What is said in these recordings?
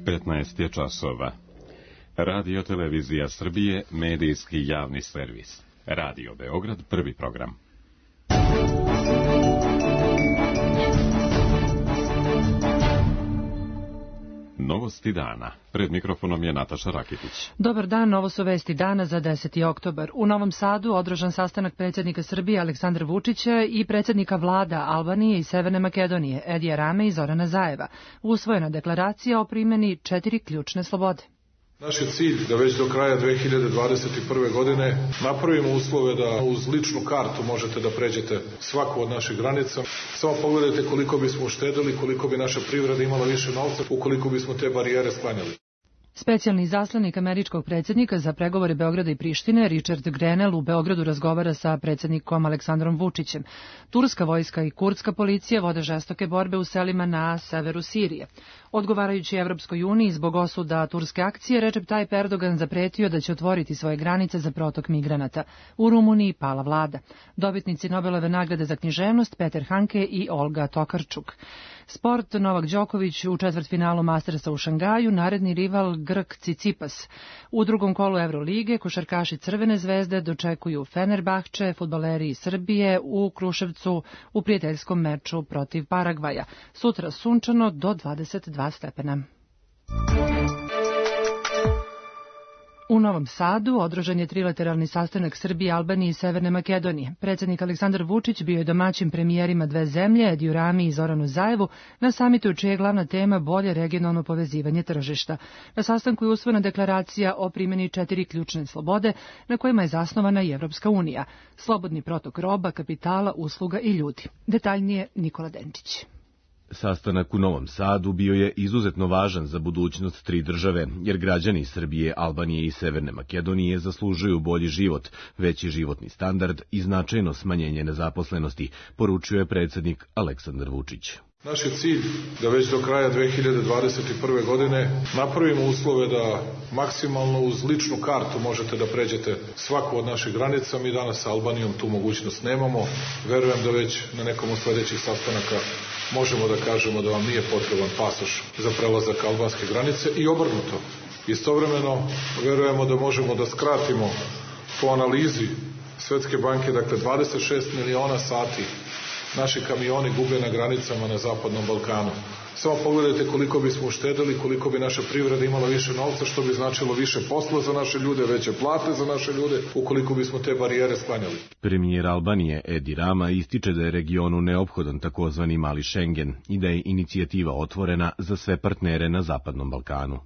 15 je časova. Radio Televizija Srbije, medijski javni servis. Radio Beograd, prvi program. Novosti dana. Pred mikrofonom je Nataša Rakitić. Dobar dan, ovo su vesti dana za 10. oktobar. U Novom Sadu održan sastanak predsjednika Srbije Aleksandra Vučića i predsjednika vlada Albanije i Severne Makedonije Edija Rame i Zorana Zajeva. Usvojena deklaracija o primjeni 4 ključne slobode. Naš je cilj da već do kraja 2021. godine napravimo uslove da uz ličnu kartu možete da pređete svaku od naših granica. Samo pogledajte koliko bismo uštedili, koliko bi naša privreda imala više novca, ukoliko bismo te barijere sklanjali. Specijalni izaslanik američkog predsjednika za pregovore Beograda i Prištine, Richard Grenell, u Beogradu razgovara sa predsjednikom Aleksandrom Vučićem. Turska vojska i kurdska policija vode žestoke borbe u selima na severu Sirije. Odgovarajući Evropskoj uniji zbog osuda turske akcije, Recep Tayyip Erdogan zapretio da će otvoriti svoje granice za protok migranata. U Rumuniji pala vlada. Dobitnici Nobelove nagrade za književnost Peter Hanke i Olga Tokarčuk. Sport, Novak Đoković u četvrtfinalu Mastersa u Šangaju, naredni rival Grk Cicipas. U drugom kolu Evrolige košarkaši Crvene zvezde dočekuju Fenerbahče, fudbaleri iz Srbije u Kruševcu u prijateljskom meču protiv Paragvaja. Sutra sunčano do 22 stepena. U Novom Sadu održan je trilateralni sastanak Srbije, Albanije i Severne Makedonije. Predsjednik Aleksandar Vučić bio je domaćin premijerima dve zemlje, Ediju Rami i Zoranu Zajevu, na samitu čija je glavna tema bolje regionalno povezivanje tržišta. Na sastanku je usvojena deklaracija o primjeni 4 ključne slobode, na kojima je zasnovana i Evropska unija. Slobodni protok roba, kapitala, usluga i ljudi. Detaljnije Nikola Denčić. Sastanak u Novom Sadu bio je izuzetno važan za budućnost tri države, jer građani Srbije, Albanije i Severne Makedonije zaslužuju bolji život, veći životni standard i značajno smanjenje nezaposlenosti, poručio je predsjednik Aleksandar Vučić. Naš je cilj da već do kraja 2021. godine napravimo uslove da maksimalno uz ličnu kartu možete da pređete svaku od naših granica. Mi danas sa Albanijom tu mogućnost nemamo. Verujem da već na nekom od sljedećih sastanaka možemo da kažemo da vam nije potreban pasoš za prelazak albanske granice i obrnuto. Istovremeno verujemo da možemo da skratimo po analizi Svetske banke, dakle 26 miliona sati naši kamioni gube na granicama na Zapadnom Balkanu. Samo pogledajte koliko bismo uštedili, koliko bi naša privreda imala više novca, što bi značilo više posla za naše ljude, veće plate za naše ljude, ukoliko bismo te barijere sklanjali. Premijer Albanije Edi Rama ističe da je regionu neophodan takozvani mali Schengen i da je inicijativa otvorena za sve partnere na Zapadnom Balkanu.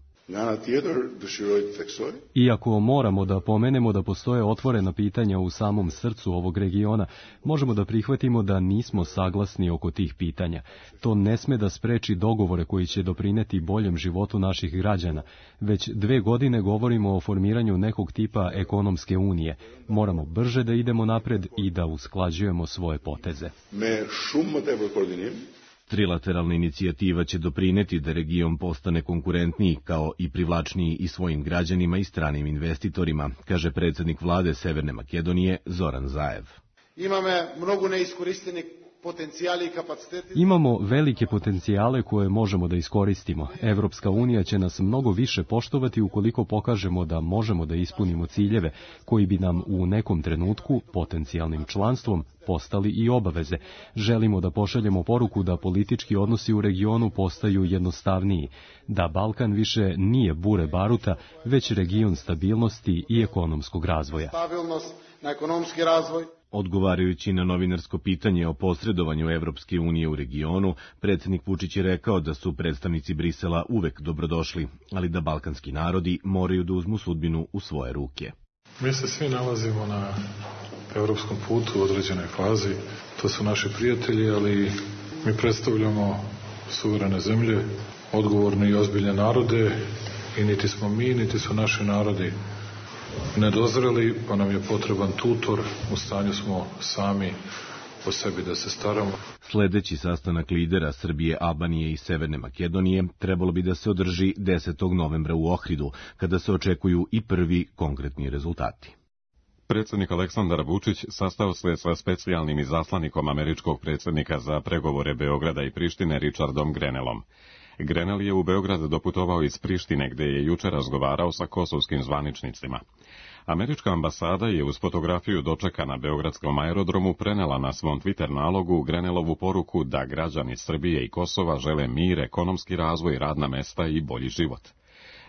Iako moramo da pomenemo da postoje otvorena pitanja u samom srcu ovog regiona, možemo da prihvatimo da nismo saglasni oko tih pitanja. To ne sme da spreči dogovore koji će doprineti boljem životu naših građana. Već 2 godine govorimo o formiranju nekog tipa ekonomske unije. Moramo brže da idemo napred i da usklađujemo svoje poteze. Trilateralna inicijativa će doprineti da region postane konkurentniji kao i privlačniji i svojim građanima i stranim investitorima, kaže predsjednik vlade Severne Makedonije Zoran Zajev. Imamo velike potencijale koje možemo da iskoristimo. Evropska unija će nas mnogo više poštovati ukoliko pokažemo da možemo da ispunimo ciljeve koji bi nam u nekom trenutku potencijalnim članstvom postali i obaveze. Želimo da pošaljemo poruku da politički odnosi u regionu postaju jednostavniji, da Balkan više nije bure baruta, već region stabilnosti i ekonomskog razvoja. Odgovarajući na novinarsko pitanje o posredovanju Evropske unije u regionu, predsjednik Vučić je rekao da su predstavnici Brisela uvek dobrodošli, ali da balkanski narodi moraju da uzmu sudbinu u svoje ruke. Mi se svi nalazimo na evropskom putu u određenoj fazi. To su naši prijatelji, ali mi predstavljamo suverene zemlje, odgovorne i ozbiljne narode i niti smo mi, niti su naši narodi nedozreli, pa nam je potreban tutor, u stanju smo sami o sebi da se staramo. Sljedeći sastanak lidera Srbije, Albanije i Severne Makedonije trebalo bi da se održi 10. novembra u Ohridu, kada se očekuju i prvi konkretni rezultati. Predsjednik Aleksandar Vučić sastao se sa specijalnim izaslanikom američkog predsjednika za pregovore Beograda i Prištine Richardom Grenellom. Grenell je u Beograd doputovao iz Prištine, gde je juče razgovarao sa kosovskim zvaničnicima. Američka ambasada je uz fotografiju dočeka na beogradskom aerodromu prenela na svom Twitter nalogu Grenellovu poruku da građani Srbije i Kosova žele mir, ekonomski razvoj, radna mesta i bolji život.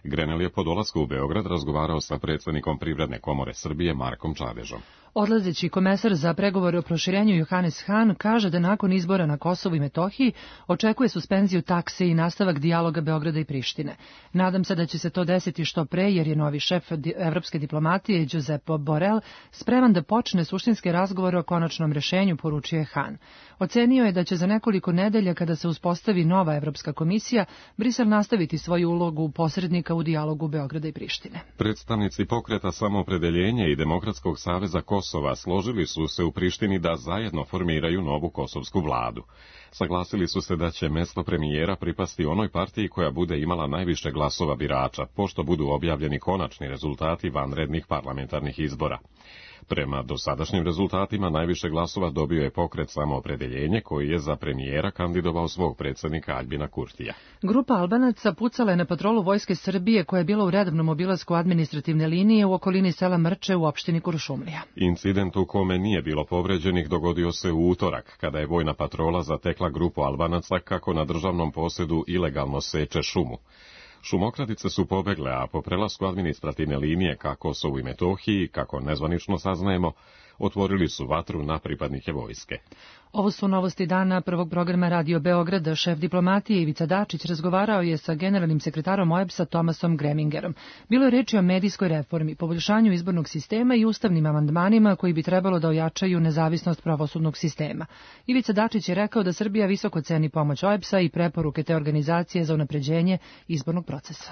Grenell je po dolasku u Beograd razgovarao sa predsjednikom Privredne komore Srbije Markom Čadežom. Odlazeći komesar za pregovore o proširenju Johannes Hahn kaže da nakon izbora na Kosovu i Metohiji očekuje suspenziju takse i nastavak dijaloga Beograda i Prištine. Nadam se da će se to desiti što pre, jer je novi šef evropske diplomatije Giuseppe Borrell spreman da počne suštinske razgovore o konačnom rešenju, poručio je Hahn. Ocenio je da će za nekoliko nedelja, kada se uspostavi nova Evropska komisija, Brisel nastaviti svoju ulogu posrednika u dijalogu Beograda i Prištine. Predstavnici pokreta Samoopredeljenje i Demokratskog saveza Kosova složili su se u Prištini da zajedno formiraju novu kosovsku vladu. Saglasili su se da će mesto premijera pripasti onoj partiji koja bude imala najviše glasova birača, pošto budu objavljeni konačni rezultati vanrednih parlamentarnih izbora. Prema dosadašnjim rezultatima najviše glasova dobio je pokret Samoopredeljenje, koji je za premijera kandidovao svog predsjednika Aljbina Kurtija. Grupa Albanaca pucala je na patrolu Vojske Srbije koja je bila u redovnom obilasku administrativne linije u okolini sela Mrče u opštini Kuršumlija. Incident u kome nije bilo povređenih dogodio se u utorak, kada je vojna patrola zatekla grupu Albanaca kako na državnom posedu ilegalno seče šumu. Šumokradice su pobegle, a po prelasku administrativne linije ka Kosovu i Metohiji, kako nezvanično saznajemo, otvorili su vatru na pripadnike vojske. Ovo su novosti dana prvog programa Radio Beograda. Šef diplomatije Ivica Dačić razgovarao je sa generalnim sekretarom OEBS-a Tomasom Gremingerom. Bilo je reči o medijskoj reformi, poboljšanju izbornog sistema i ustavnim amandmanima koji bi trebalo da ojačaju nezavisnost pravosudnog sistema. Ivica Dačić je rekao da Srbija visoko ceni pomoć OEBS-a i preporuke te organizacije za unapređenje izbornog procesa.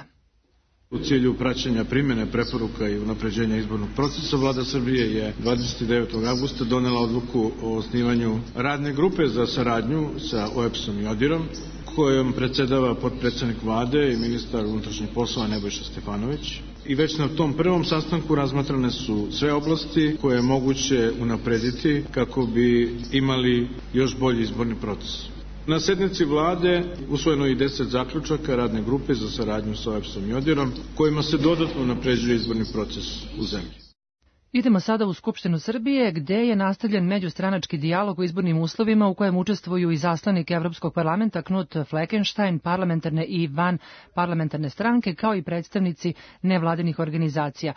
U cilju praćenja primjene preporuka i unapređenja izbornog procesa, Vlada Srbije je 29. avgusta donela odluku o osnivanju radne grupe za saradnju sa OEBS-om i ODIR-om, kojom predsjedava potpredsjednik Vlade i ministar unutrašnjih poslova Nebojša Stefanović. I već na tom prvom sastanku razmatrane su sve oblasti koje je moguće unaprediti kako bi imali još bolji izborni proces. Na sednici vlade usvojeno je i 10 zaključaka radne grupe za saradnju sa OEBS-om i ODIR-om, kojima se dodatno unapređuje izborni proces u zemlji. Idemo sada u Skupštinu Srbije, gde je nastavljen međustranački dijalog o izbornim uslovima u kojem učestvuju i zaslanik Evropskog parlamenta Knut Fleckenstein, parlamentarne i van parlamentarne stranke, kao i predstavnici nevladinih organizacija.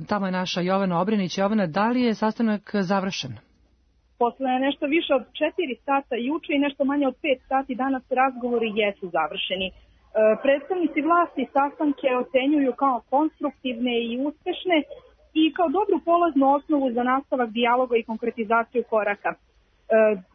Tamo je naša Jovana Obrenić. Jovana, da li je sastanak završen? Posle nešto više od 4 sata juče i nešto manje od 5 sati danas razgovori jesu završeni. Predstavnici vlasti sastanke ocenjuju kao konstruktivne i uspešne i kao dobru polaznu osnovu za nastavak dijaloga i konkretizaciju koraka.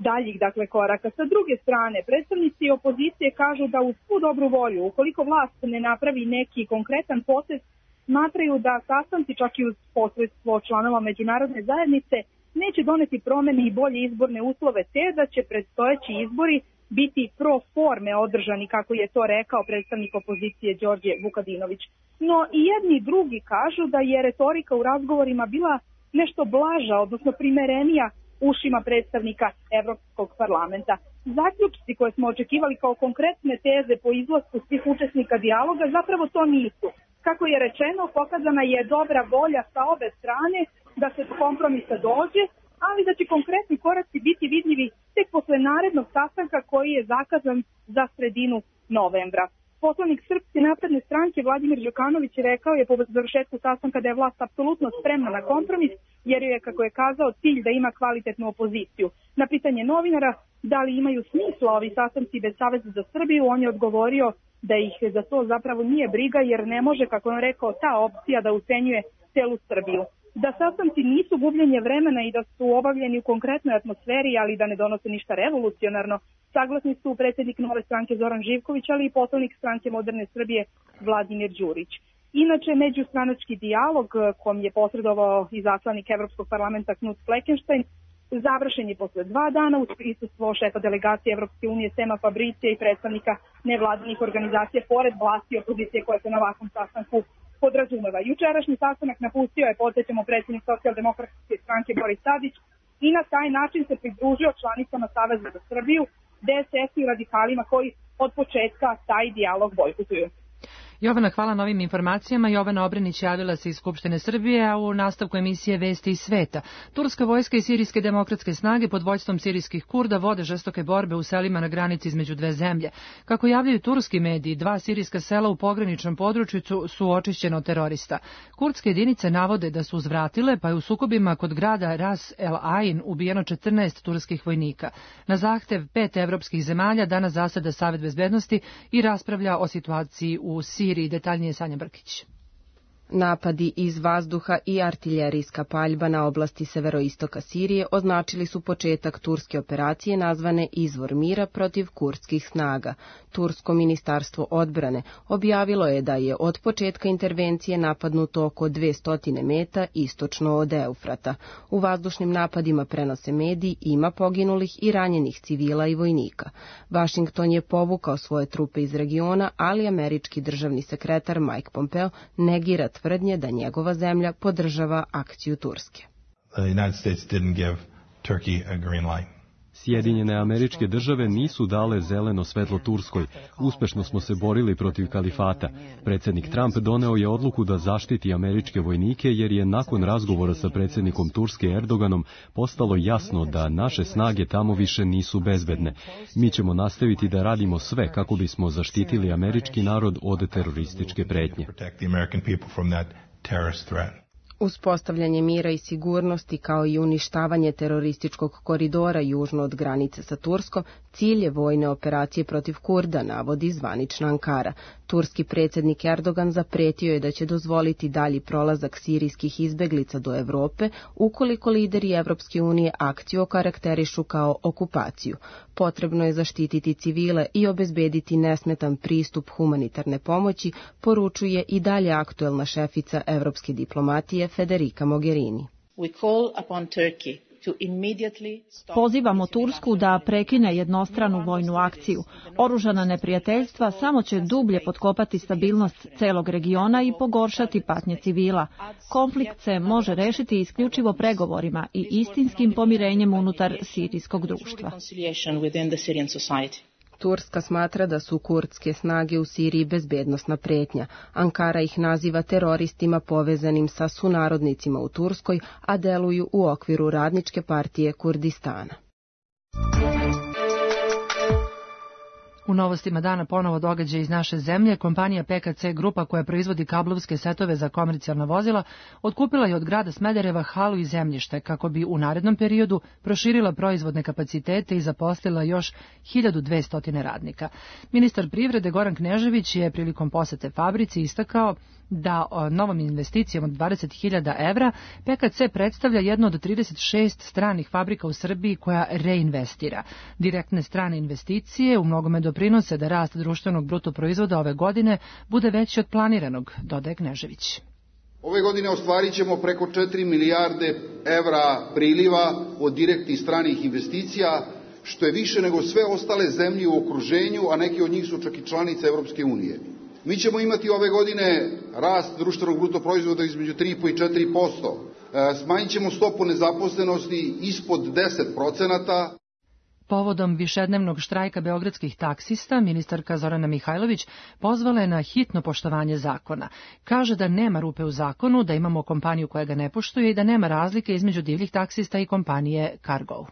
Daljih, koraka. Sa druge strane, predstavnici opozicije kažu da uz svu dobru volju, ukoliko vlast ne napravi neki konkretan potez, smatraju da sastanci čak i uz posredstvo članova međunarodne zajednice neće doneti promene i bolje izborne uslove, te da će predstojeći izbori biti pro forme održani, kako je to rekao predstavnik opozicije Đorđe Vukadinović. No i jedni i drugi kažu da je retorika u razgovorima bila nešto blaža, odnosno primerenija ušima predstavnika Evropskog parlamenta. Zaključci koje smo očekivali kao konkretne teze po izlasku svih učesnika dijaloga zapravo to nisu. Kako je rečeno, pokazana je dobra volja sa obe strane da se do kompromisa dođe, ali da će konkretni koraci biti vidljivi tek posle narednog sastanka koji je zakazan za sredinu novembra. Poslanik Srpske napredne stranke Vladimir Đukanović rekao je po završetku sastanka da je vlast apsolutno spremna na kompromis, jer je, kako je kazao, cilj da ima kvalitetnu opoziciju. Na pitanje novinara da li imaju smisla ovi sastanci bez Saveza za Srbiju, on je odgovorio da ih za to zapravo nije briga, jer ne može, kako on rekao, ta opcija da ucenjuje celu Srbiju. Da sastanci nisu gubljenje vremena i da su obavljeni u konkretnoj atmosferi, ali da ne donose ništa revolucionarno, saglasni su predsjednik Nove stranke Zoran Živković, ali i poslanik stranke Moderne Srbije Vladimir Đurić. Inače, međustranački dijalog, kom je posredovao i zaslanik Evropskog parlamenta Knut Fleckenstein, završen je posle 2 dana uz prisustvo šefa delegacije Evropske unije Sema Fabricija i predstavnika nevladinih organizacija, pored vlasti i opozicije koje se na ovakvom sastanku podrazumeva. Jučerašnji sastanak napustio je, podsjećamo, predsjednik Socijaldemokratske stranke Boris Tadić i na taj način se pridružio članicama Saveza za Srbiju, DSS i radikalima koji od početka taj dijalog bojkotuju. Jovana, hvala na ovim informacijama. Jovana Obrenić javila se iz Skupštine Srbije, a u nastavku emisije Vesti iz sveta. Turska vojska i sirijske demokratske snage pod vođstvom sirijskih Kurda vode žestoke borbe u selima na granici između dve zemlje. Kako javljaju turski mediji, 2 sirijska sela u pograničnom području su očišćena od terorista. Kurdske jedinice navode da su uzvratile, pa je u sukobima kod grada Ras El Ain ubijeno 14 turskih vojnika. Na zahtev 5 evropskih zemalja danas zaseda Savet bezbednosti i raspravlja o situaciji u Siriji. Detaljnije Sanja Brkić. Napadi iz vazduha i artiljerijska paljba na oblasti severoistoka Sirije označili su početak turske operacije nazvane Izvor mira protiv kurdskih snaga. Tursko ministarstvo odbrane objavilo je da je od početka intervencije napadnuto oko 200 meta istočno od Eufrata. U vazdušnim napadima, prenose mediji, ima poginulih i ranjenih civila i vojnika. Washington je povukao svoje trupe iz regiona, ali američki državni sekretar Mike Pompeo negira tvrdnje da njegova zemlja podržava akciju Turske. Sjedinjene Američke Države nisu dale zeleno svetlo Turskoj. Uspešno smo se borili protiv kalifata. Predsjednik Trump doneo je odluku da zaštiti američke vojnike jer je nakon razgovora sa predsjednikom Turske Erdoganom postalo jasno da naše snage tamo više nisu bezbedne. Mi ćemo nastaviti da radimo sve kako bismo zaštitili američki narod od terorističke pretnje. Uspostavljanje mira i sigurnosti kao i uništavanje terorističkog koridora južno od granice sa Turskom cilj je vojne operacije protiv Kurda, navodi zvanična Ankara. Turski predsjednik Erdogan zapretio je da će dozvoliti dalji prolazak sirijskih izbeglica do Evrope ukoliko lideri Evropske unije akciju okarakterišu kao okupaciju. Potrebno je zaštititi civile i obezbediti nesmetan pristup humanitarne pomoći, poručuje i dalje aktuelna šefica evropske diplomatije Federica Mogherini. Pozivamo Tursku da prekine jednostranu vojnu akciju. Oružana neprijateljstva samo će dublje potkopati stabilnost celog regiona i pogoršati patnje civila. Konflikt se može rešiti isključivo pregovorima i istinskim pomirenjem unutar sirijskog društva. Turska smatra da su kurdske snage u Siriji bezbednosna pretnja. Ankara ih naziva teroristima povezanim sa sunarodnicima u Turskoj, a deluju u okviru Radničke partije Kurdistana. U novostima dana ponovo događaj iz naše zemlje. Kompanija PKC Grupa, koja proizvodi kablovske setove za komercijalna vozila, otkupila je od grada Smedereva halu i zemljište kako bi u narednom periodu proširila proizvodne kapacitete i zaposlila još 1200 radnika. Ministar privrede Goran Knežević je prilikom posete fabrici istakao da novom investicijom od 20.000 evra PKC predstavlja jednu od 36 stranih fabrika u Srbiji koja reinvestira. Direktne strane investicije u mnogome doprinose da rast društvenog bruto proizvoda ove godine bude veći od planiranog, dodaje Knežević. Ove godine ostvarit ćemo preko 4 milijarde evra priliva od direktnih stranih investicija, što je više nego sve ostale zemlje u okruženju, a neki od njih su čak i članice Evropske unije. Mi ćemo imati ove godine rast društvenog bruto proizvoda između 3,5 i 4%. Smanjit ćemo stopu nezaposlenosti ispod 10%. Povodom višednevnog štrajka beogradskih taksista, ministarka Zorana Mihajlović pozvala je na hitno poštovanje zakona. Kaže da nema rupe u zakonu, da imamo kompaniju koja ga ne poštuje i da nema razlike između divljih taksista i kompanije Cargo.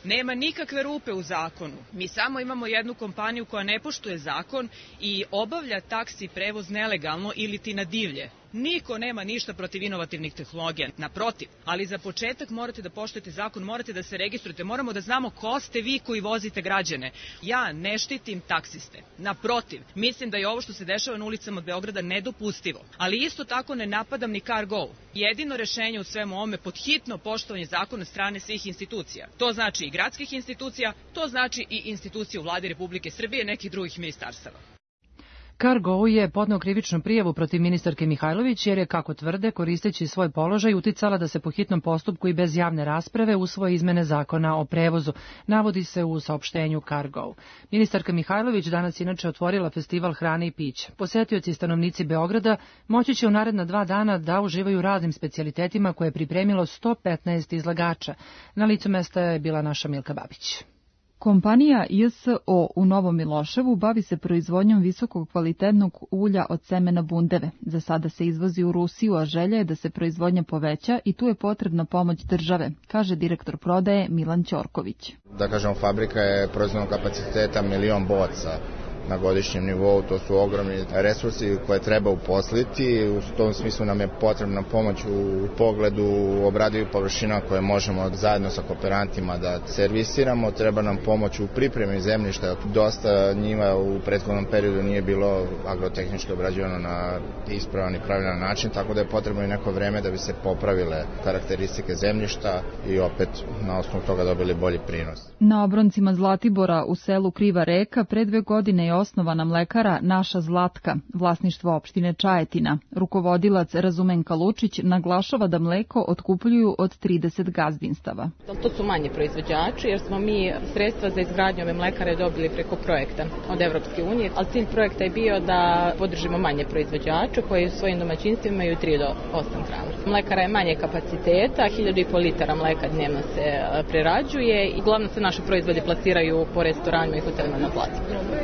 Nema nikakve rupe u zakonu. Mi samo imamo jednu kompaniju koja ne poštuje zakon i obavlja taksi prevoz nelegalno ili ti na divlje. Niko nema ništa protiv inovativnih tehnologija, naprotiv, ali za početak morate da poštujete zakon, morate da se registrujete, moramo da znamo ko ste vi koji vozite građane. Ja ne štitim taksiste, naprotiv, mislim da je ovo što se dešava na ulicama Beograda nedopustivo, ali isto tako ne napadam ni Cargo. Jedino rešenje u svemu ovome pod hitno poštovanje zakona strane svih institucija. To znači i gradskih institucija, to znači i institucija u Vladi Republike Srbije i nekih drugih ministarstava. Cargo je podneo krivičnu prijavu protiv ministarke Mihajlović jer je, kako tvrde, koristeći svoj položaj uticala da se po hitnom postupku i bez javne rasprave usvoje izmene zakona o prevozu, navodi se u saopštenju Cargo. Ministarka Mihajlović danas inače otvorila festival hrane i pića. Posetioci i stanovnici Beograda moći će u naredna 2 dana da uživaju raznim specijalitetima koje je pripremilo 115 izlagača. Na licu mesta je bila naša Milka Babić. Kompanija JSO u Novom Miloševu bavi se proizvodnjom visokog kvalitetnog ulja od semena bundeve. Za sada se izvozi u Rusiju, a želja je da se proizvodnja poveća i tu je potrebna pomoć države, kaže direktor prodaje Milan Ćorković. Da kažemo, fabrika je proizvodnog kapaciteta 1.000.000 boca na godišnjem nivou, to su ogromni resursi koje treba uposliti. U tom smislu nam je potrebna pomoć u pogledu obradivih površina koje možemo zajedno sa kooperantima da servisiramo. Treba nam pomoć u pripremi zemljišta. Dosta njiva u prethodnom periodu nije bilo agrotehnički obrađivano na ispravan i pravilan način, tako da je potrebno i neko vreme da bi se popravile karakteristike zemljišta i opet na osnovu toga dobili bolji prinos. Na obroncima Zlatibora u selu Kriva Reka pre 2 godine je osnovana mlekara Naša Zlatka, vlasništvo opštine Čajetina. Rukovodilac Razumen Kalučić naglašava da mleko otkupljuju od 30 gazdinstava. To su manji proizvođači jer smo mi sredstva za izgradnju ove mlekare dobili preko projekta od Evropske unije, ali cilj projekta je bio da podržimo manje proizvođače koji u svojim domaćinstvima imaju 3 do 8 krava. Mlekara je manje kapaciteta, 1.500 litara mleka dnevno se prerađuje i uglavnom se naši proizvodi plasiraju po restoranima i hotelima na placu.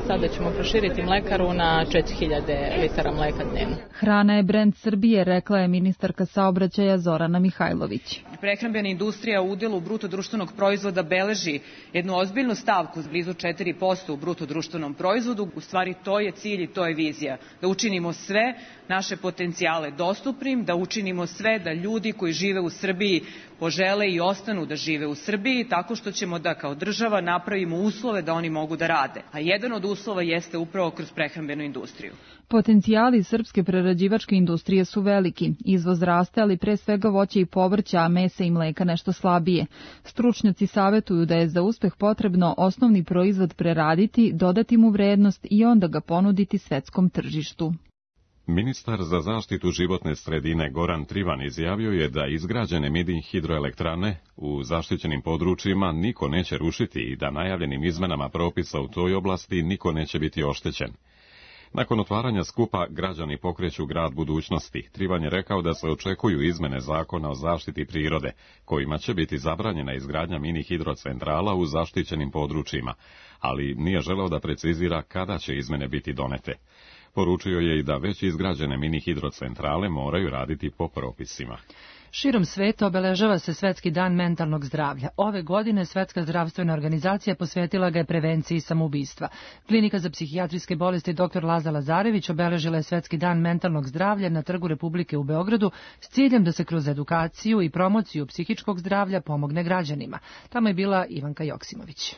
Sada ćemo proširiti mlekaru na 4.000 litara mleka dnevno. Hrana je brend Srbije, rekla je ministarka saobraćaja Zorana Mihajlović. Prehrambena industrija u udelu bruto društvenog proizvoda beleži jednu ozbiljnu stavku, blizu 4% u bruto društvenom proizvodu. U stvari to je cilj i to je vizija. Da učinimo sve naše potencijale dostupnim, da učinimo sve da ljudi koji žive u Srbiji požele i ostanu da žive u Srbiji, tako što ćemo da kao država napravimo uslove da oni mogu da rade. A jedan od uslova jeste upravo kroz prehrambenu industriju. Potencijali srpske prerađivačke industrije su veliki. Izvoz raste, ali pre svega voća i povrća, a mesa i mleka nešto slabije. Stručnjaci savetuju da je za uspeh potrebno osnovni proizvod preraditi, dodati mu vrednost i onda ga ponuditi svetskom tržištu. Ministar za zaštitu životne sredine Goran Trivan izjavio je da izgrađene mini hidroelektrane u zaštićenim područjima niko neće rušiti i da najavljenim izmenama propisa u toj oblasti niko neće biti oštećen. Nakon otvaranja skupa građani pokreću grad budućnosti. Trivan je rekao da se očekuju izmene zakona o zaštiti prirode, kojima će biti zabranjena izgradnja mini hidrocentrala u zaštićenim područjima, ali nije želeo da precizira kada će izmene biti donete. Poručio je i da već izgrađene mini hidrocentrale moraju raditi po propisima. Širom sveta obeležava se Svetski dan mentalnog zdravlja. Ove godine Svetska zdravstvena organizacija posvetila ga je prevenciji samoubistva. Klinika za psihijatrijske bolesti dr. Laza Lazarević obeležila je Svetski dan mentalnog zdravlja na Trgu Republike u Beogradu s ciljem da se kroz edukaciju i promociju psihičkog zdravlja pomogne građanima. Tamo je bila Ivanka Joksimović.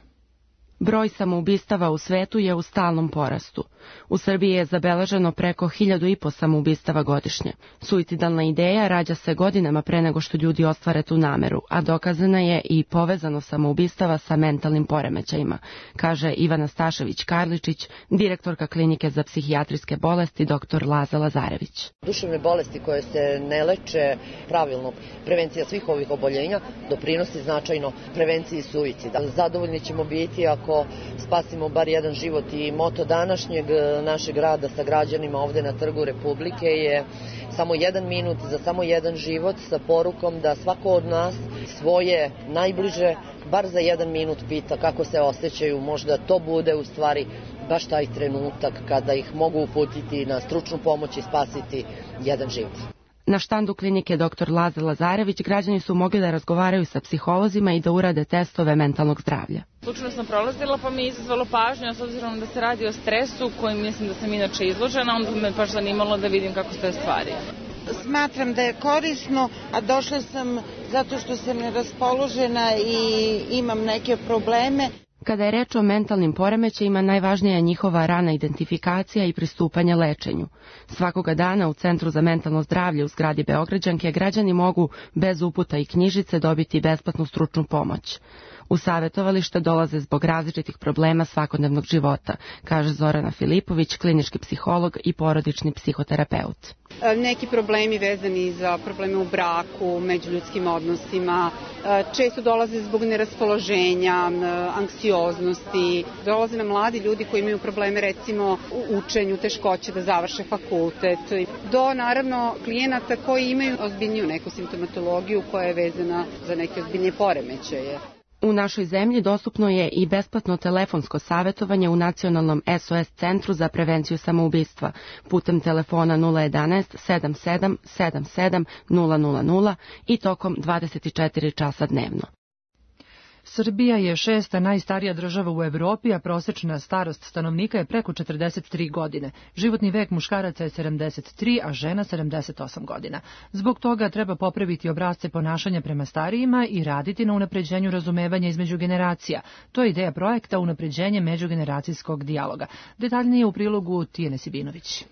Broj samoubistava u svetu je u stalnom porastu. U Srbiji je zabeleženo preko 1.500 samoubistava godišnje. Suicidalna ideja rađa se godinama pre nego što ljudi ostvare tu nameru, a dokazana je i povezano samoubistava sa mentalnim poremećajima, kaže Ivana Stašević-Karličić, direktorka Klinike za psihijatrijske bolesti dr. Laza Lazarević. Duševne bolesti koje se ne leče pravilno, prevencija svih ovih oboljenja doprinosi značajno prevenciji suicida. Zadovoljni ćemo biti ako spasimo bar jedan život i moto današnjeg našeg rada sa građanima ovde na Trgu Republike je samo 1 minut za samo 1 život sa porukom da svako od nas svoje najbliže bar za 1 minut pita kako se osjećaju, možda to bude u stvari baš taj trenutak kada ih mogu uputiti na stručnu pomoć i spasiti jedan život. Na štandu klinike dr. Laza Lazarević građani su mogli da razgovaraju sa psiholozima i da urade testove mentalnog zdravlja. Slučajno sam prolazila pa mi je izazvalo pažnju, s obzirom da se radi o stresu kojim mislim da sam inače izložena, onda me baš zanimalo da vidim kako stoje stvari. Smatram da je korisno, a došla sam zato što sam neraspoložena i imam neke probleme. Kada je reč o mentalnim poremećajima, najvažnija je njihova rana identifikacija i pristupanje lečenju. Svakoga dana u Centru za mentalno zdravlje u zgradi Beograđanke građani mogu bez uputa i knjižice dobiti besplatnu stručnu pomoć. U savjetovalište dolaze zbog različitih problema svakodnevnog života, kaže Zorana Filipović, klinički psiholog i porodični psihoterapeut. Neki problemi vezani za probleme u braku, međuljudskim odnosima, često dolaze zbog neraspoloženja, anksioznosti, dolaze nam mladi ljudi koji imaju probleme recimo u učenju, teškoće da završe fakultet, do naravno klijenata koji imaju ozbiljniju neku simptomatologiju koja je vezana za neke ozbiljnije poremećaje. U našoj zemlji dostupno je i besplatno telefonsko savjetovanje u Nacionalnom SOS centru za prevenciju samoubistva putem telefona 011 77 77 000 i tokom 24 časa dnevno. Srbija je 6. najstarija država u Evropi, a prosečna starost stanovnika je preko 43 godine. Životni vek muškaraca je 73, a žena 78 godina. Zbog toga treba popraviti obrasce ponašanja prema starijima i raditi na unapređenju razumevanja između generacija. To je ideja projekta Unapređenje međugeneracijskog dijaloga. Detaljnije u prilogu Tijene Sibinović.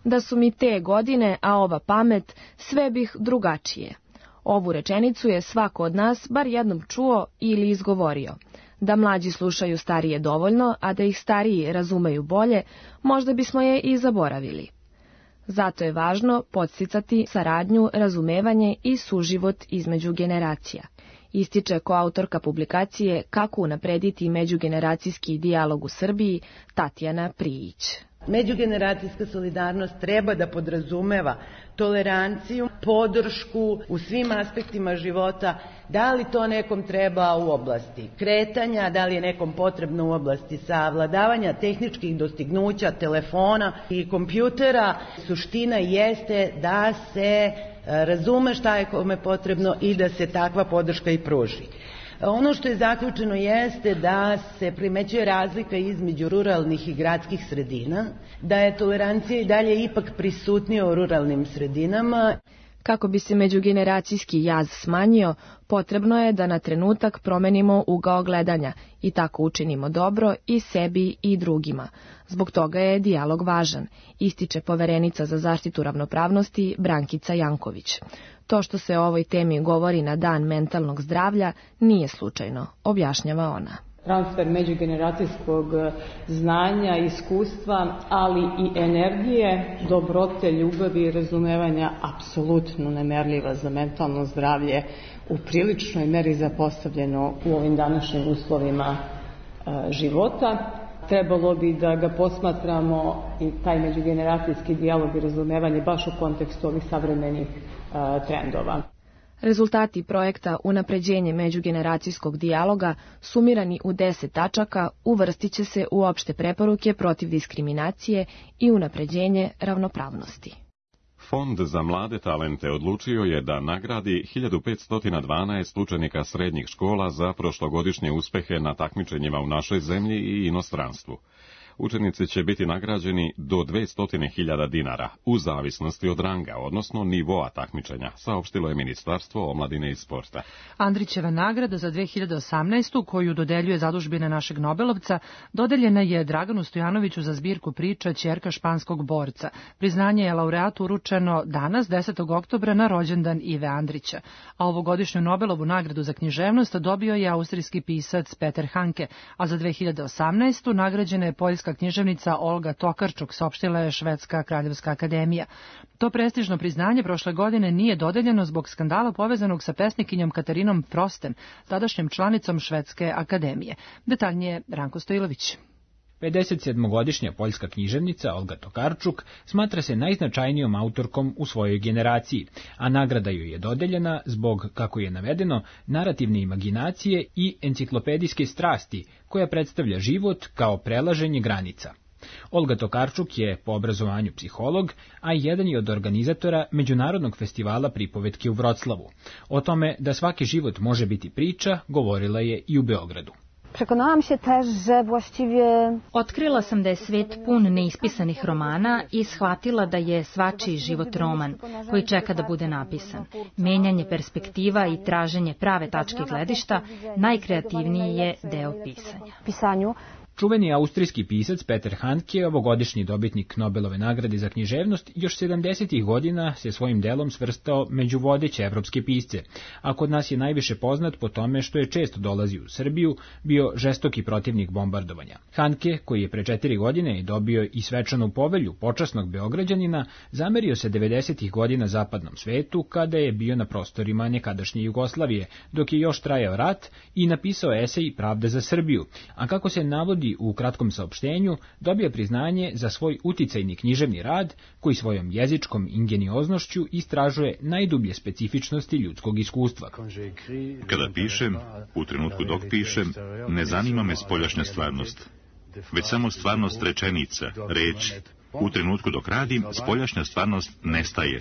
Da su mi te godine, a ova pamet, sve bih drugačije. Ovu rečenicu je svako od nas bar jednom čuo ili izgovorio. Da mlađi slušaju starije dovoljno, a da ih stariji razumeju bolje, možda bismo je i zaboravili. Zato je važno podsticati saradnju, razumevanje i suživot između generacija. Ističe koautorka publikacije Kako unaprediti međugeneracijski dijalog u Srbiji, Tatjana Prijić. Međugeneracijska solidarnost treba da podrazumeva toleranciju, podršku u svim aspektima života, da li to nekom treba u oblasti kretanja, da li je nekom potrebno u oblasti savladavanja tehničkih dostignuća, telefona i kompjutera. Suština jeste da se razume šta je kome potrebno i da se takva podrška i pruži. Ono što je zaključeno jeste da se primećuje razlika između ruralnih i gradskih sredina, da je tolerancija i dalje ipak prisutnija u ruralnim sredinama. Kako bi se međugeneracijski jaz smanjio, potrebno je da na trenutak promenimo ugao gledanja i tako učinimo dobro i sebi i drugima. Zbog toga je dijalog važan, ističe poverenica za zaštitu ravnopravnosti Brankica Janković. To što se o ovoj temi govori na Dan mentalnog zdravlja nije slučajno, objašnjava ona. Transfer međugeneracijskog znanja, iskustva, ali i energije, dobrote, ljubavi i razumevanja apsolutno nemerljiva za mentalno zdravlje, u priličnoj meri zapostavljeno u ovim današnjim uslovima života. Trebalo bi da ga posmatramo i taj međugeneracijski dijalog i razumevanje baš u kontekstu ovih savremenih trendova. Rezultati projekta Unapređenje međugeneracijskog dijaloga, sumirani u 10 tačaka, uvrstit će se u opšte preporuke protiv diskriminacije i unapređenje ravnopravnosti. Fond za mlade talente odlučio je da nagradi 1512 učenika srednjih škola za prošlogodišnje uspehe na takmičenjima u našoj zemlji i inostranstvu. Učenici će biti nagrađeni do 200.000 dinara, u zavisnosti od ranga, odnosno nivoa takmičenja, saopštilo je Ministarstvo omladine i sporta. Andrićeva nagrada za 2018. koju dodeljuje zadužbina našeg Nobelovca, dodeljena je Draganu Stojanoviću za zbirku priča Ćerka španskog borca. Priznanje je laureatu uručeno danas, 10. oktobra, na rođendan Ive Andrića. A ovogodišnju Nobelovu nagradu za književnost dobio je austrijski pisac Peter Hanke, a za 2018. nagrađena je poljska književnica Olga Tokarczuk, saopštila je Švedska kraljevska akademija. To prestižno priznanje prošle godine nije dodeljeno zbog skandala povezanog sa pesnikinjom Katarinom Prostem, tadašnjom članicom Švedske akademije. Detaljnije Ranko Stojilović. 57-godišnja poljska književnica Olga Tokarczuk smatra se najznačajnijom autorkom u svojoj generaciji, a nagrada joj je dodeljena zbog, kako je navedeno, narativne imaginacije i enciklopedijske strasti, koja predstavlja život kao prelaženje granica. Olga Tokarczuk je po obrazovanju psiholog, a jedan je od organizatora Međunarodnog festivala pripovetke u Vroclavu. O tome da svaki život može biti priča, govorila je i u Beogradu. Otkrila sam da je svet pun neispisanih romana i shvatila da je svačiji život roman koji čeka da bude napisan. Menjanje perspektiva i traženje prave tačke gledišta najkreativniji je deo pisanja. Čuveni austrijski pisac Peter Handke, ovogodišnji dobitnik Nobelove nagrade za književnost, još 70. godina se svojim delom svrstao među vodeće evropske pisce, a kod nas je najviše poznat po tome što je često dolazio u Srbiju, bio žestoki protivnik bombardovanja. Handke, koji je pre 4 godine dobio i svečanu povelju počasnog Beograđanina, zamerio se 90. godina zapadnom svetu kada je bio na prostorima nekadašnje Jugoslavije, dok je još trajao rat, i napisao esej Pravda za Srbiju, a kako se navodi navodi u kratkom saopštenju, dobio priznanje za svoj uticajni književni rad koji svojom jezičkom ingenioznošću istražuje najdublje specifičnosti ljudskog iskustva. Kada pišem, u trenutku dok pišem, ne zanima me spoljašnja stvarnost, već samo stvarnost rečenica, reči. U trenutku dok radim, spoljašnja stvarnost nestaje.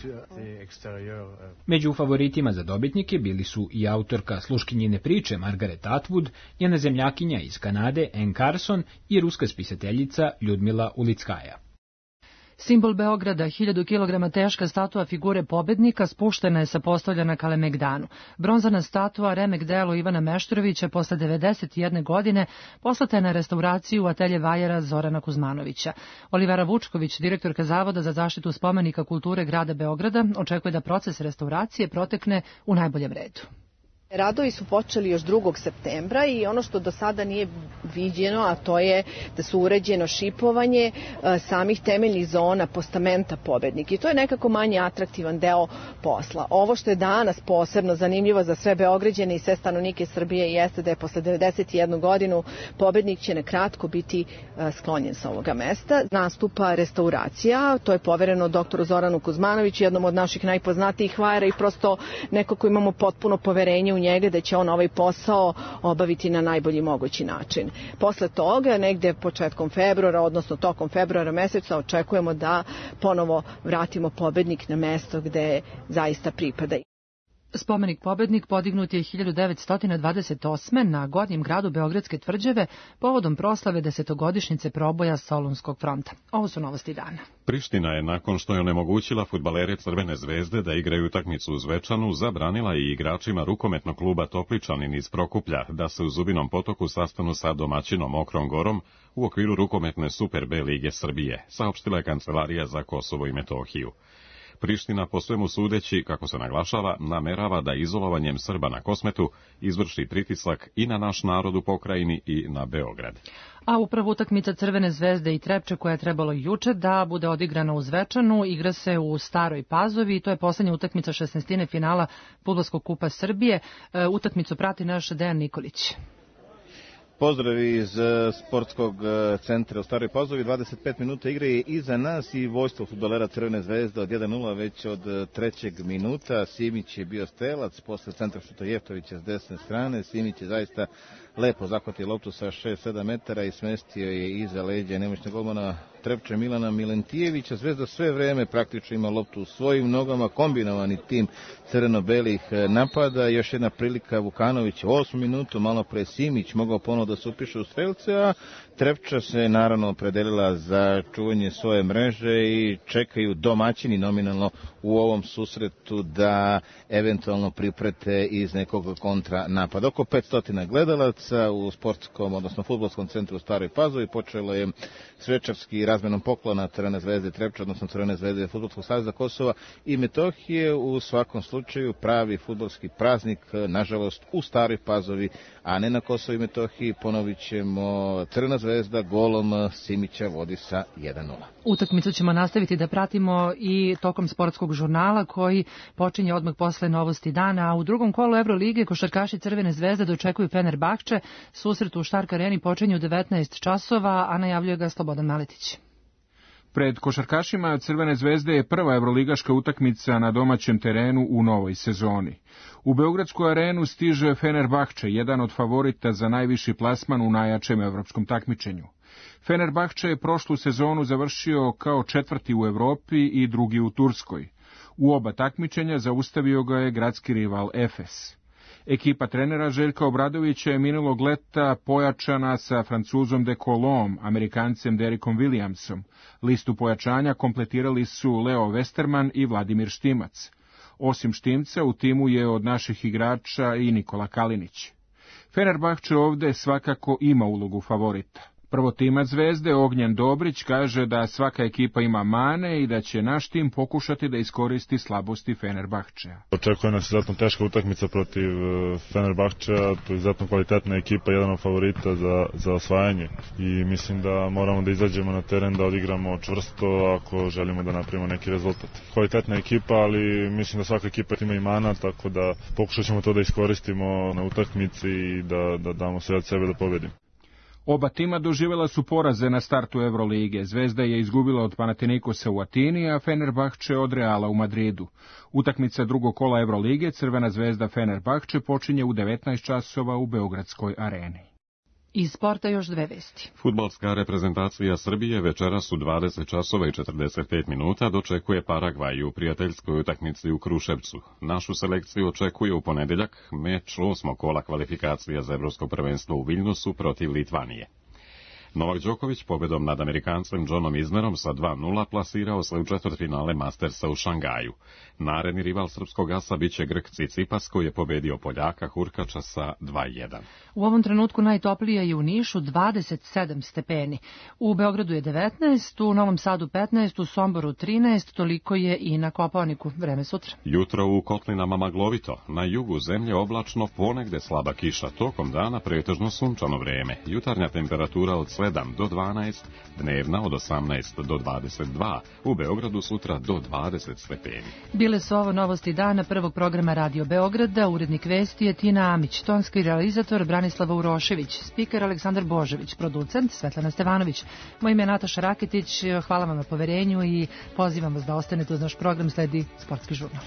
Među favoritima za dobitnike bili su i autorka sluškinjine priče Margaret Atwood, njena zemljakinja iz Kanade Anne Carson i ruska spisateljica Ljudmila Ulickaja. Simbol Beograda, 1000 kg teška statua figure pobednika spuštena je sa postolja na Kalemegdanu. Bronzana statua, remek delo Ivana Meštrovića, posle 91 godine poslata je na restauraciju u atelje vajera Zorana Kuzmanovića. Olivera Vučković, direktorka Zavoda za zaštitu spomenika kulture grada Beograda, očekuje da proces restauracije protekne u najboljem redu. Radovi su počeli još 2. septembra i ono što do sada nije viđeno, a to je da su uređeno šipovanje samih temeljnih zona postamenta pobednika. I to je nekako manje atraktivan deo posla. Ovo što je danas posebno zanimljivo za sve Beograđane i sve stanovnike Srbije jeste da je posle 91 godinu pobednik će na kratko biti sklonjen sa ovoga mesta. Nastupa restauracija, to je povereno doktoru Zoranu Kuzmanoviću, jednom od naših najpoznatijih vajara i prosto nekako imamo potpuno poverenje u njega da će on ovaj posao obaviti na najbolji mogući način. Posle toga, negde početkom februara, odnosno tokom februara meseca, očekujemo da ponovo vratimo pobednik na mesto gde zaista pripada. Spomenik pobednik podignut je 1928. na Gornjem gradu Beogradske tvrđave povodom proslave 10-godišnjice proboja Solunskog fronta. Ovo su novosti dana. Priština je, nakon što je onemogućila fudbalere Crvene zvezde da igraju utakmicu u Zvečanu, zabranila i igračima rukometnog kluba Topličanin iz Prokuplja da se u Zubinom Potoku sastanu sa domaćinom Mokrom Gorom u okviru rukometne Super B lige Srbije, saopštila je Kancelarija za Kosovo i Metohiju. Priština, po svemu sudeći, kako se naglašava, namerava da izolovanjem Srba na Kosmetu izvrši pritisak i na naš narod u pokrajini i na Beograd. A upravo utakmica Crvene zvezde i Trepče, koja je trebalo juče da bude odigrana u Zvečanu, igra se u Staroj Pazovi i to je poslednja utakmica 16. finala Fudbalskog kupa Srbije. Utakmicu prati naš Dejan Nikolić. Pozdrav iz sportskog centra u Staroj Pazovi. 25 minuta igre je iza nas i vojstvo fudbalera Crvene zvezde od 1-0 već od 3. minuta. Simić je bio strelac, posle centra šuta Jeftovića s desne strane. Simić je zaista lepo zahvatio loptu sa 6-7 metara i smestio je iza leđa nemoćnog golmana Trepče Milana Milentijevića. Zvezda sve vreme praktično ima loptu u svojim nogama, kombinovani tim crveno-belih napada. Još jedna prilika Vukanović u 8. minutu, malo pre Simić mogao ponovo da se upiše u strelce, a Trepča se naravno opredelila za čuvanje svoje mreže i čekaju domaćini nominalno u ovom susretu da eventualno priprete iz nekog kontra napada. Oko 500 gledalaca u sportskom, odnosno fudbalskom centru u Staroj Pazovi. Počelo je svečarski razmenom poklona Crvene zvezde Trepča, odnosno Crvene zvezde Fudbalskog saveza Kosova i Metohije. U svakom slučaju pravi fudbalski praznik, nažalost, u Staroj Pazovi, a ne na Kosovu i Metohiji. Ponovit ćemo, Crvena zvezda golom Simića vodi sa 1-0. Utakmicu ćemo nastaviti da pratimo i tokom sportskog žurnala koji počinje odmah posle novosti dana, a u drugom kolu Evrolige košarkaši Crvene zvezde dočekuju Fenerbahče. Susret u Štark areni počinje u 19 časova, a najavljuje ga Slobodan Maletić. Pred košarkašima Crvene zvezde je prva evroligaška utakmica na domaćem terenu u novoj sezoni. U Beogradsku arenu stiže Fenerbahče, jedan od favorita za najviši plasman u najjačem evropskom takmičenju. Fenerbahče je prošlu sezonu završio kao 4. u Evropi i 2. u Turskoj. U oba takmičenja zaustavio ga je gradski rival Efes. Ekipa trenera Željka Obradovića je minulog leta pojačana sa Francuzom de Colom, Amerikancem Derikom Williamsom. Listu pojačanja kompletirali su Leo Westerman i Vladimir Štimac. Osim Štimca, u timu je od naših igrača i Nikola Kalinić. Fenerbahče ovde svakako ima ulogu favorita. Prvotimac Zvezde Ognjen Dobrić kaže da svaka ekipa ima mane i da će naš tim pokušati da iskoristi slabosti Fenerbahčeja. Očekuje nas izuzetno teška utakmica protiv Fenerbahčeja, to je izuzetno kvalitetna ekipa, jedan od favorita za osvajanje i mislim da moramo da izađemo na teren, da odigramo čvrsto ako želimo da napravimo neki rezultat. Kvalitetna ekipa, ali mislim da svaka ekipa ima i mana, tako da pokušat ćemo to da iskoristimo na utakmici i da damo sve od sebe da pobedimo. Oba tima doživjela su poraze na startu Evrolige. Zvezda je izgubila od Panathinaikosa u Atini, a Fenerbahče od Reala u Madridu. Utakmica drugog kola Evrolige Crvena zvezda Fenerbahče počinje u 19 časova u Beogradskoj areni. Iz sporta još dve vesti. Fudbalska reprezentacija Srbije večeras u 20 časova i 45 minuta dočekuje Paragvaj u prijateljskoj utakmici u Kruševcu. Našu selekciju očekuje u ponedeljak meč 8. kola kvalifikacija za Evropsko prvenstvo u Viljnusu protiv Litvanije. Novak Đoković pobedom nad Amerikancem Johnom Isnerom sa 2:0 plasirao se u četvrtfinale Mastersa u Šangaju. Naredni rival srpskog asa biće Grk Tsitsipas koji je pobedio Poljaka Hurkača sa 2:1. U ovom trenutku najtoplije je u Nišu 27 stepeni. U Beogradu je 19, u Novom Sadu 15, u Somboru 13, toliko je i na Kopaoniku. Vreme sutra. Jutro u Kotlinama maglovito, na jugu zemlje oblačno, ponegde slaba kiša, tokom dana pretežno sunčano vreme. Jutarnja temperatura od 7 do 12, dnevna od 18 do 22, u Beogradu sutra do 20 stepeni. Bile su ovo novosti dana prvog programa Radio Beograda, urednik vesti je Tina Amić, tonski realizator Branislava Urošević, spiker Aleksandar Božević, producent Svetlana Stevanović. Moje ime je Nataša Raketić, hvala vam na poverenju i pozivam vas da ostanete uz naš program, sledi Sportski žurnal.